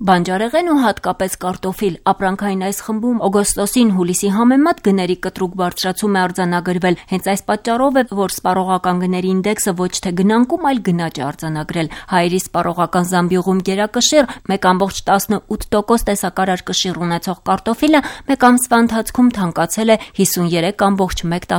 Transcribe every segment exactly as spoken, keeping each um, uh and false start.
Բանջարեղեն ու հատկապես կարտոֆիլ։ Ապրանքային այս խմբում օգոստոսին հուլիսի համեմատ գների կտրուկ բարձրացում է արձանագրվել։ Հենց այս պատճառով է, որ սպառողական գների ինդեքսը ոչ թե գնանկում, այլ գնաճ է արձանագրել։ Հայերի սպառողական զամբյուղում գերակշիռ մեկ կόμma տասնութ տոկոս տեսակարար կշիռ ունեցող կարտոֆիլը մեկ ամսվա ընթացքում թանկացել է հիսունյերեք կόμma մեկ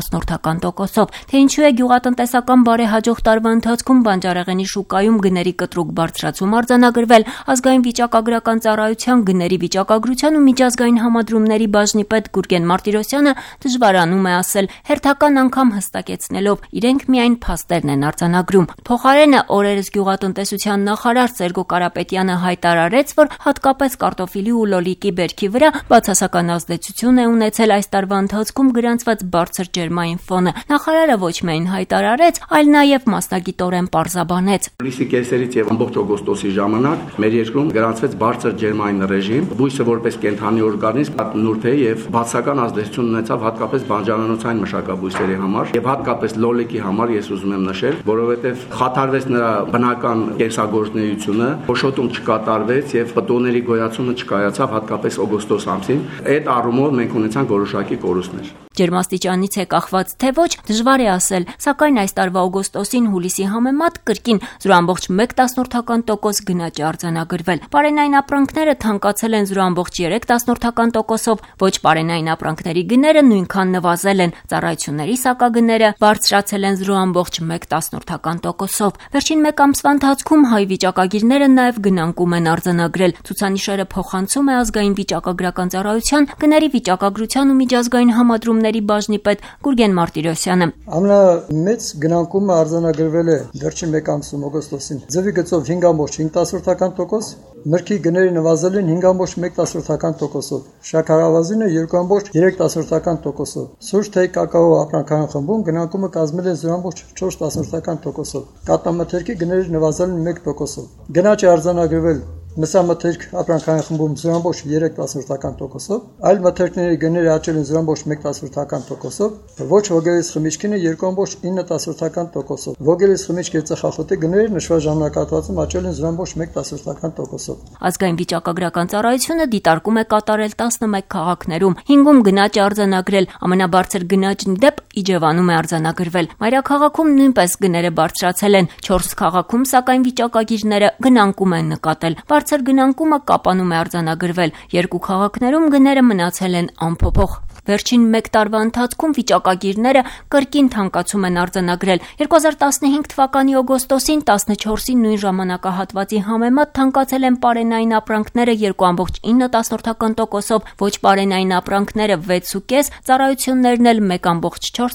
տոկոսով։ Թե ինչու է գյուղատնտեսական բարեհաջող տարվա ընթացքում բանջարեղենի շուկայում գների կտրուկ բարձրացում արձանագրվել, ազգային վիճակագրական ծառայության գների վիճակագրության ու միջազգային համադրումների բաժնի պետ Գուրգեն Մարտիրոսյանը դժվարանում է ասել, հերթական անգամ հստակեցնելով, իրենք միայն փաստերն են արձանագրում։ Փոխարենը օրերս գյուղատնտեսության նախարար Սերգո Կարապետյանը հայտարարեց, որ հատկապես կարտոֆիլի ու լոլիկի բերքի վրա բացասական ազդեցություն է ունեցել այս տարվա ընթացքում գրանցված բարձր ջերմային ֆոնը։ Նախարարը ոչ միայն հայտարարեց, այլ նաև մասնագիտորեն պարզաբանեց։ Հուլիսի կեսերից եւ ամբողջ օգոստոսի ժամանակ մեր երկրում գրանցվեց բարձր ջերմային ռեժիմ, բույսը որպես կենդանի օրգանիզմ նուրբ է եւ բացասական ազդեցություն ունեցավ հատկապես բանջարանոցային մշակաբույսերի համար եւ հատկապես լոլիկի համար ես ուզում եմ նշել, որովհետեւ խաթարվեց նրա բնական կենսագործունեությունը, փոշոտում չկատարվեց եւ պտուղների գոյացումը չկայացավ հատկապես օգոստոս ամսին։ Այդ առումով մենք ունեցանք որոշակի կորուստներ։ Ջերմաստիճանից է կախված թե ոչ, դժվար է ասել, սակայն այս տարվա օգոստոսին հուլիսի համեմատ կրկին զրո կόμma մեկ տոկոս գնաճ է արձանագրվել։ Պարենային ապրանքները թանկացել են զրո կόμma երեք տոկոսով, ոչ պարենային ապրանքների գները նույնքան նվազել են, ծառայությունների սակագները բարձրացել են զրո կόμma մեկ տոկոսով։ Վերջին մեկ ամսվա ընթացքում հայ վիճակագիրները նաև գնանկում են արձանագրել։ Ցուցանիշերը փոխանցում է ազգային վիճակագրական ծառայության գների վիճակագրության ու միջազգային համադրումների բաժնի պետ Գուրգեն Մարտիրոսյանը։ Ամենամեծ գնանկումը արձանագրվել է վերջին մեկ ամսում օգոստոսին։ Ձվի գծով հինգ կόμma պինգ տոկոս, մրգի գները նվազել են հինգ կόμma մեկ տոկոսով, շաքարավազինը երկու կόμma երեք տոկոսով, սուրճ թեյ կակաո ապրանքային խմբում գնանկումը կազմել է զրո կόμma չորս տոկոսով, կաթնամթերքի գները նվազել են մեկ տոկոսով, գնաճ է արձանագրվել մսամթերք ապրանքային խմբում զրո կόμma երեք տոկոսով, այլ մթերքների գները աճել են զրո կόμma մեկ տոկոսով, ոչ ոգելից խմիչքինը երկու կόμma ինը տոկոսով, ոգելից խմիչքի ծխախոտի գները նշված ժամանակահատվածում աճել են զրո կόμma մեկ տոկոսով։ Ազգային վիճակագրական ծառայությունը դիտարկում է կատարել տասնմեկ քաղաքներում, հինգում գնաճ է արձանագրել, ամենաբարձր գնաճն դեպ Իջևանում է արձանագրվել։ Մայրաքաղաքում նույնպես գները բարձրացել են, չորս քաղաքում սակայն վիճակագիրները գնանկում են նկատել։ Բարձր գնանկումը Կապանում է արձանագրվել, երկու քաղաքներում գները մնացել են անփոփոխ։ Վերջին մեկ տարվա ընթացքում վիճակագիրները կրկին թանկացում են արձանագրել։ երկու հազար տասնհինգ թվականի օգոստոսին տասնչորսի նույն ժամանակահատվածի համեմատ թանկացել են պարենային ապրանքները երկու կόμma ինը տոկոսով, ոչ պարենային ապրանքները վեց կόμma պինգ, ծառայություններն էլ մեկ կόμma չորս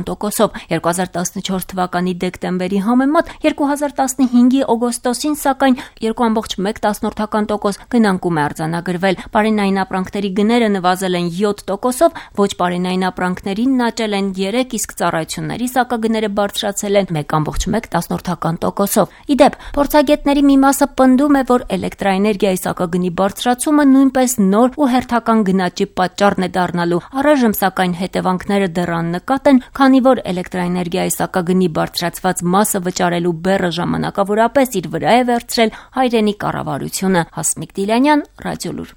տոկոսով։ երկու հազար տասնչորս թվականի դեկտեմբերի համեմատ երկու հազար տասնհինգի օգոստոսին սակայն երկու կόμma մեկ տոկոս գնանկում է արձանագրվել։ Պարենային ապրանքների գները նվազել են յոթ տոկոս, ոչ պարենային ապրանքներին աճել են երեք, իսկ ծառայությունների սակագները բարձրացել են մեկ կόμma մեկ տոկոսով։ Իդեպ, փորձագետների մի մասը պնդում է, որ էլեկտրաէներգիայի սակագնի բարձրացումը նույնպես նոր ու հերթական գնաճի պատճառն է դառնալու։ Առայժմ սակայն հետևանքները դեռ աննկատ են, քանի որ էլեկտրաէներգիայի սակագնի բարձրացված մասը վճարելու բեռը ժամանակավորապես իր վրա է վերցրել հայրենի կառավարությունը։ Հասմիկ Դիլյանյան, Ռադիոլուր։